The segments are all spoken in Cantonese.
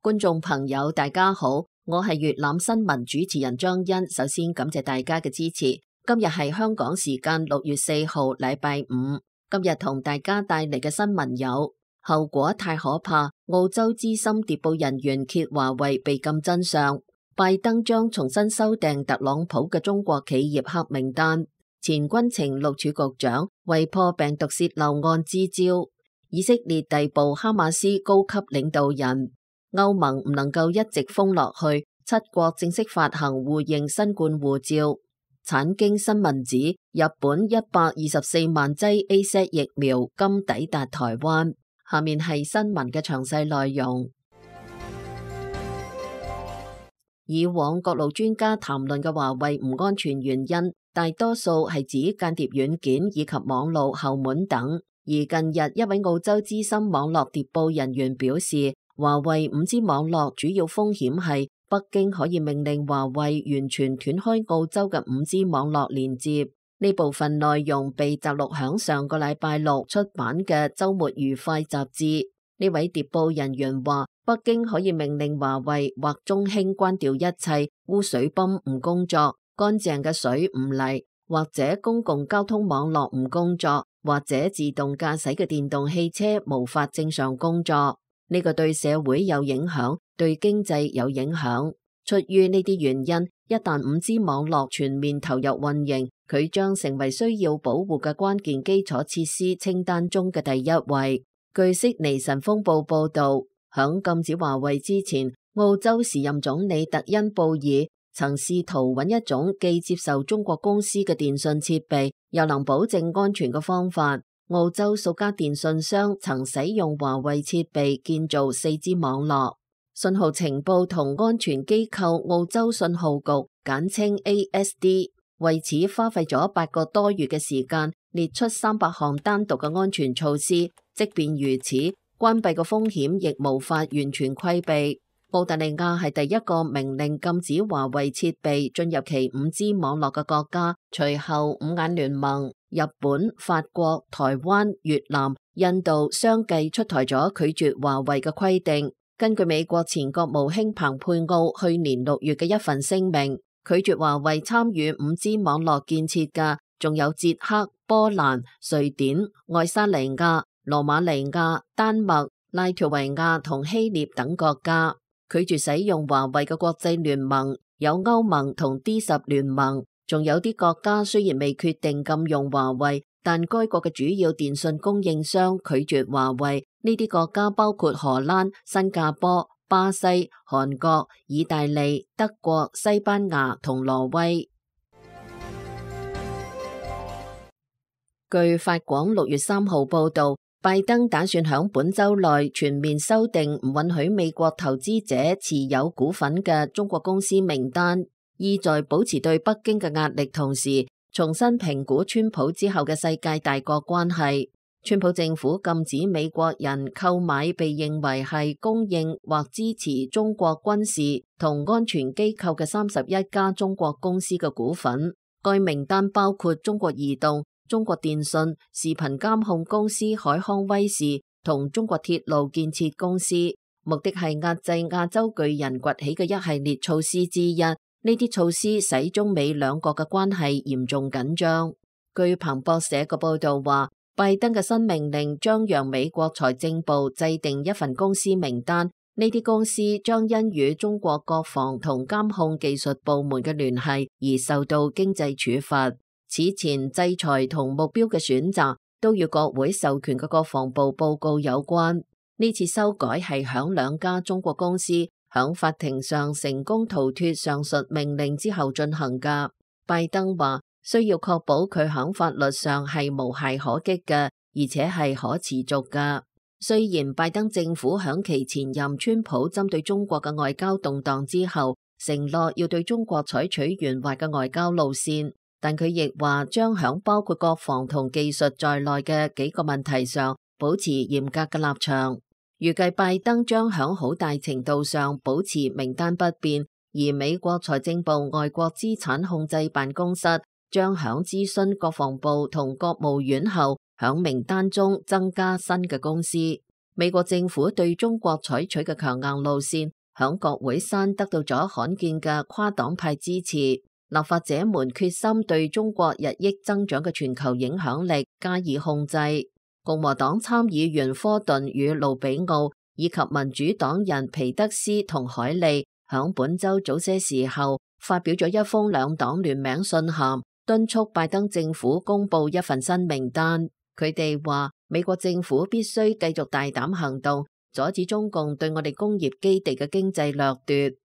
觀眾朋友，大家好，我係粵覽新聞主持人張欣。首先感謝大家嘅支持。今日係香港時間6月4號，禮拜五。今日同大家帶嚟嘅新聞有：後果太可怕，澳洲資深諜報人員揭華為被禁真相；拜登將重新修訂特朗普嘅中國企業黑名單；前軍情六處局長為破病毒洩漏案支招；以色列逮捕哈馬斯高級領導人。歐盟唔能夠一直封落去，7國正式發行互認新冠護照。產經新聞指，日本124萬劑 AZ 疫苗今抵達台灣。下面係新聞嘅詳細內容。以往各路專家談論嘅華為唔安全原因，大多數係指間諜軟件以及網路後門等。而近日一位澳洲資深網絡諜報人員表示，華為 5G 網絡主要風險係北京可以命令華為完全斷開澳洲嘅 5G 網絡連接。呢部分內容被摘錄響上個禮拜六出版嘅週末愉快雜誌。呢位諜報人員話，北京可以命令華為或中興關掉一切污水泵唔工作，乾淨嘅水唔嚟，或者公共交通網絡唔工作，或者自動駕駛嘅電動汽車無法正常工作。呢個對社會有影響，對經濟有影響。出於呢啲原因，一旦 5G 網絡全面投入運營，佢將成為需要保護嘅關鍵基礎設施清單中嘅第一位。據悉尼晨鋒報報道，響禁止華為之前，澳洲時任總理特恩布爾曾試圖揾一種既接受中國公司嘅電信設備，又能保證安全嘅方法。澳洲數家電信商曾使用華為設備建造 4G 網絡。信號情報同安全機構澳洲信號局簡稱 ASD 為此花費咗8個多月嘅時間，列出300項單獨嘅安全措施。即便如此，關閉嘅風險亦無法完全規避。澳大利亞係第一個命令禁止華為設備進入其 5G 網絡嘅國家，隨後五眼聯盟、日本、法國、台灣、越南、印度相繼出台咗拒絕華為嘅規定。根據美國前國務卿蓬佩奧去年6月嘅一份聲明，拒絕華為參與 5G 網絡建設嘅仲有捷克、波蘭、瑞典、愛沙尼亞、羅馬尼亞、丹麥、拉脫維亞同希臘等國家。拒絕使用華為嘅國際聯盟有歐盟同 D10 聯盟，仲有啲國家雖然未決定禁用華為，但該國嘅主要電信供應商拒絕華為。呢啲國家包括荷蘭、新加坡、巴西、韓國、意大利、德國、西班牙同挪威。據法廣6月3號報道，拜登打算響本週內全面修訂唔允許美國投資者持有股份嘅中國公司名單，意在保持對北京嘅壓力，同時重新評估川普之後嘅世界大國關係。川普政府禁止美國人購買被認為係供應或支持中國軍事同安全機構嘅31家中國公司嘅股份。該名單包括中國移動、中國電信、視頻監控公司海康威視同中國鐵路建設公司，目的係壓制亞洲巨人崛起嘅一系列措施之一。呢啲措施使中美兩國嘅關係嚴重緊張。據彭博社嘅報道話，拜登嘅新命令將讓美國財政部制定一份公司名單，呢啲公司將因與中國國防同監控技術部門嘅聯繫而受到經濟處罰。此前制裁同目標嘅選擇都與國會授權嘅國防部報告有關。呢次修改係響2家中國公司響法庭上成功逃脫上述命令之後進行㗎。拜登話，需要確保佢響法律上係無懈可擊嘅，而且係可持續嘅。雖然拜登政府響其前任川普針對中國嘅外交動盪之後，承諾要對中國採取圓滑嘅外交路線，但佢亦話將響包括國防同技術在內嘅幾個問題上保持嚴格嘅立場。預計拜登將響好大程度上保持名單不變，而美國財政部外國資產控制辦公室將響諮詢國防部同國務院後，響名單中增加新嘅公司。美國政府對中國採取嘅強硬路線，響國會山得到咗罕見嘅跨黨派支持。立法者們決心對中國日益增長嘅全球影響力加以控制。共和黨參議員科頓與盧比奧以及民主黨人皮德斯同海利響本週早些時候發表咗一封兩黨聯名信函，敦促拜登政府公布一份新名單。佢哋話美國政府必須繼續大膽行動，阻止中共對我哋工業基地嘅經濟掠奪。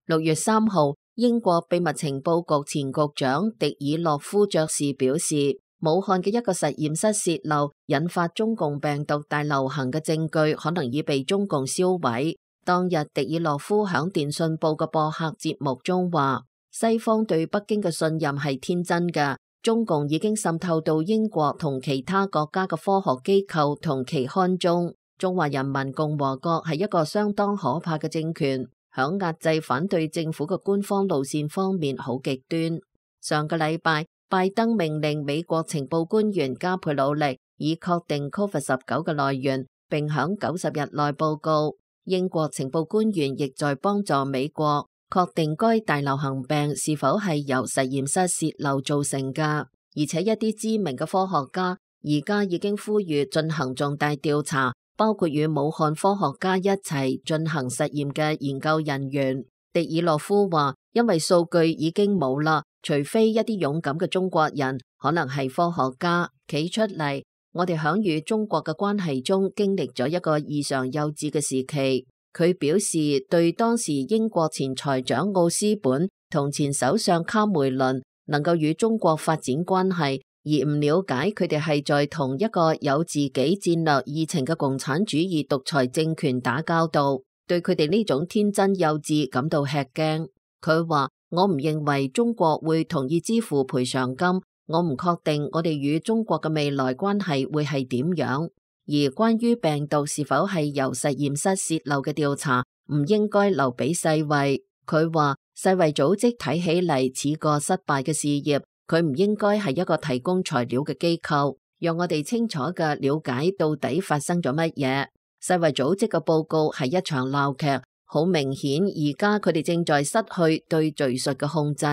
6月3號，英國秘密情報局前局長迪爾諾夫爵士表示，武漢嘅一個實驗室洩漏引發中共病毒大流行嘅證據可能已被中共銷毀。當日，迪爾諾夫響電訊報嘅播客節目中話，西方對北京嘅信任係天真嘅，中共已經滲透到英國同其他國家嘅科學機構同期刊中。中華人民共和國係一個相當可怕嘅政權，響壓制反對政府嘅官方路線方面好極端。上個禮拜，拜登命令美國情報官員加倍努力，以確定 COVID-19 嘅來源，並響90日內報告。英國情報官員亦在幫助美國確定該大流行病是否係由實驗室洩漏造成嘅，而且一啲知名嘅科學家而家已經呼籲進行重大調查，包括與武漢科學家一齊進行實驗嘅研究人員。迪爾諾夫話，因為數據已經冇啦，除非一啲勇敢嘅中國人，可能係科學家企出嚟。我哋響與中國嘅關係中經歷咗一個異常幼稚嘅時期。佢表示對當時英國前財長奧斯本同前首相卡梅倫能夠與中國發展關係，而唔了解佢哋係在同一個有自己戰略議程嘅共產主義獨裁政權打交道，對佢哋呢種天真幼稚感到吃驚。佢話，我唔認為中國會同意支付賠償金，我唔確定我哋與中國嘅未來關係會係點樣。而關於病毒是否係由實驗室洩漏嘅調查，唔應該留俾世衛。佢話，世衛組織睇起嚟似個失敗嘅事業，佢唔應該係一個提供材料嘅機構，讓我哋清楚嘅了解到底發生咗乜嘢。世衛組織嘅報告係一場鬧劇，好明顯而家佢哋正在失去對敘述嘅控制。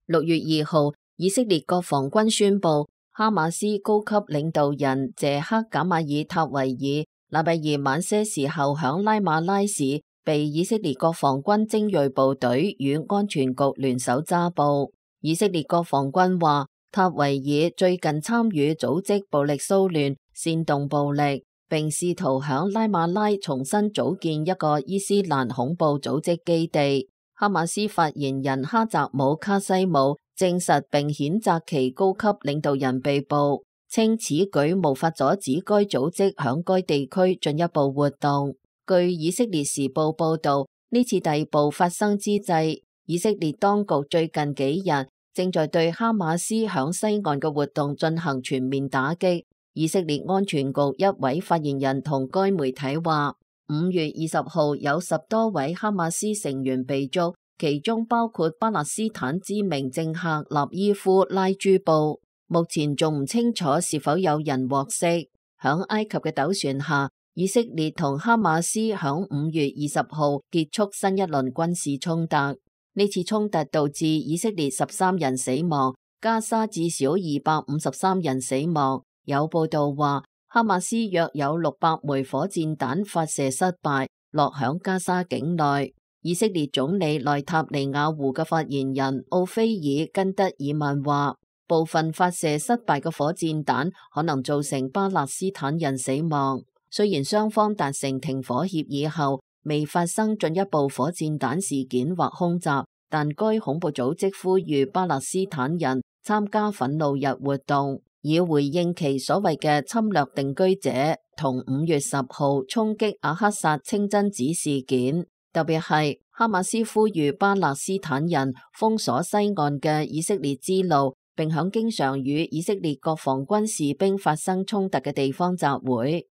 6月2號，以色列國防軍宣布，哈馬斯高級領導人謝克賈馬爾塔維爾禮拜二晚些時候響拉馬拉市被以色列國防軍精銳部隊與安全局聯手抓捕。以色列國防軍話，塔維爾最近參與組織暴力騷亂、煽動暴力，並試圖響拉馬拉重新組建一個伊斯蘭恐怖組織基地。哈馬斯發言人哈澤姆卡西姆證實並譴責其高級領導人被捕，稱此舉無法阻止該組織響該地區進一步活動。據以色列時報報道，呢次逮捕發生之際，以色列當局最近幾日正在對哈馬斯響西岸嘅活動進行全面打擊。以色列安全局一位發言人同該媒體話，5月20號有10多位哈馬斯成員被捉，其中包括巴勒斯坦知名政客納伊夫拉朱布。目前仲唔清楚是否有人獲釋。響埃及嘅斗船下，以色列同哈馬斯響5月20號結束新一輪軍事衝突。呢次衝突導致以色列13人死亡，加沙至少253人死亡。有報道話，哈馬斯約有600枚火箭彈發射失敗，落響加沙境內。以色列總理內塔尼亞胡嘅發言人奧菲爾根德爾曼話，部分發射失敗嘅火箭彈可能造成巴勒斯坦人死亡。雖然雙方達成停火協議後，未發生進一步火箭彈事件或空襲，但該恐怖組織呼籲巴勒斯坦人參加憤怒日活動，以回應其所謂嘅侵略定居者同5月10號衝擊阿克薩清真寺事件。特別係哈馬斯呼籲巴勒斯坦人封鎖西岸嘅以色列之路，並響經常與以色列國防軍士兵發生衝突嘅地方集會。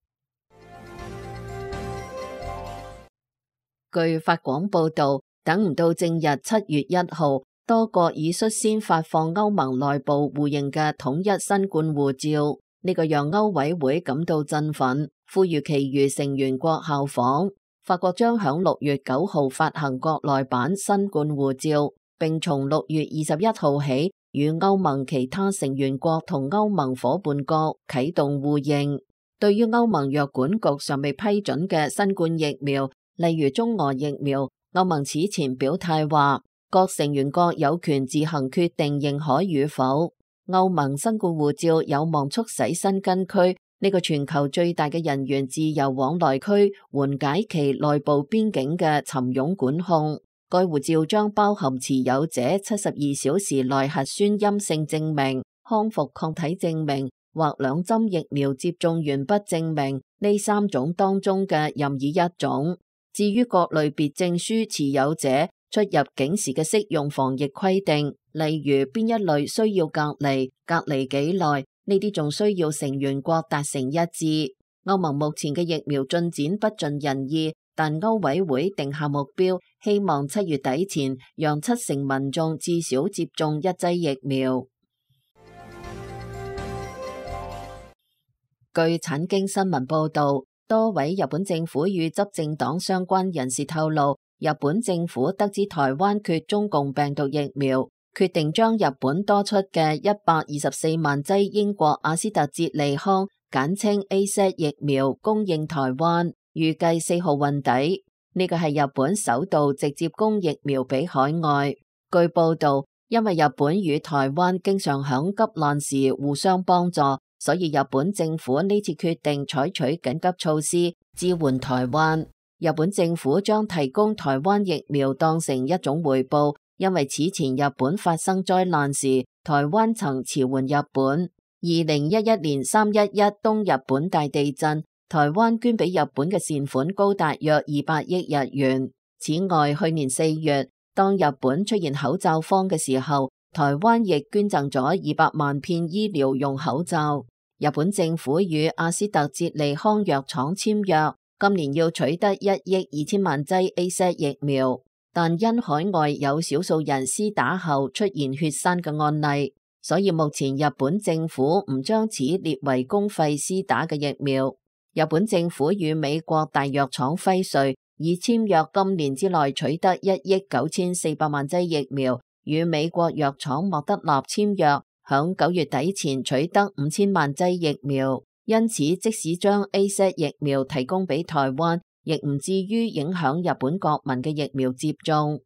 據法廣報道，等唔到正日7月1號，多國已率先發放歐盟內部互認嘅統一新冠護照，呢個讓歐委會感到振奮，呼籲其餘成員國效仿。法國將響6月9號發行國內版新冠護照，並從6月21號起與歐盟其他成員國同歐盟夥伴國啟動互認。對於歐盟藥管局尚未批准嘅新冠疫苗，例如中俄疫苗，歐盟此前表態話，各成員國有權自行決定認可與否。歐盟新冠護照有望促使申根區呢個全球最大嘅人員自由往來區緩解其內部邊境嘅沉擁管控。該護照將包含持有者72小時內核酸陰性證明、康復抗體證明或2針疫苗接種完畢證明呢3種當中嘅任意一種。至於各類別證書持有者出入境時嘅適用防疫規定，例如邊一類需要隔離幾耐，呢啲仲需要成員國達成一致。歐盟目前嘅疫苗進展不盡人意，但歐委會定下目標，希望7月底前讓7成民眾至少接種1劑疫苗。據產經新聞報道，多位日本政府與執政黨相關人士透露，日本政府得知台灣缺中共病毒疫苗，決定將日本多出嘅124萬劑英國阿斯特捷利康簡稱 AZ 疫苗供應台灣，預計4號運抵。呢個係日本首度直接供疫苗俾海外。據報道，因為日本與台灣經常響急難時互相幫助，所以日本政府呢次決定採取緊急措施支援台灣。日本政府將提供台灣疫苗當成一種回報，因為此前日本發生災難時，台灣曾馳援日本。2011年311東日本大地震，台灣捐俾日本嘅善款高達約200億日元。此外，去年4月，當日本出現口罩荒嘅時候，台灣亦捐贈咗200萬片醫療用口罩。日本政府與阿斯特捷利康藥廠簽約，今年要取得1億2000萬劑 AZ 疫苗，但因海外有少數人施打後出現血栓嘅案例，所以目前日本政府唔將此列為公費施打嘅疫苗。日本政府與美國大藥廠輝瑞已簽約今年之內取得1億9400萬劑疫苗，與美國藥廠莫德納簽約，響9月底前取得5000萬劑疫苗。因此，即使將 AZ 疫苗提供俾台灣，亦唔至於影響日本國民嘅疫苗接種。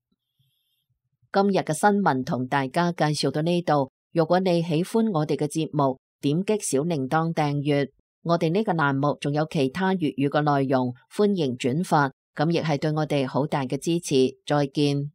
今日嘅新聞同大家介紹到呢度。如果你喜歡我哋嘅節目，點擊小鈴鐺訂閱。我哋呢個欄目仲有其他粵語嘅內容，歡迎轉發，咁亦係對我哋好大嘅支持。再見。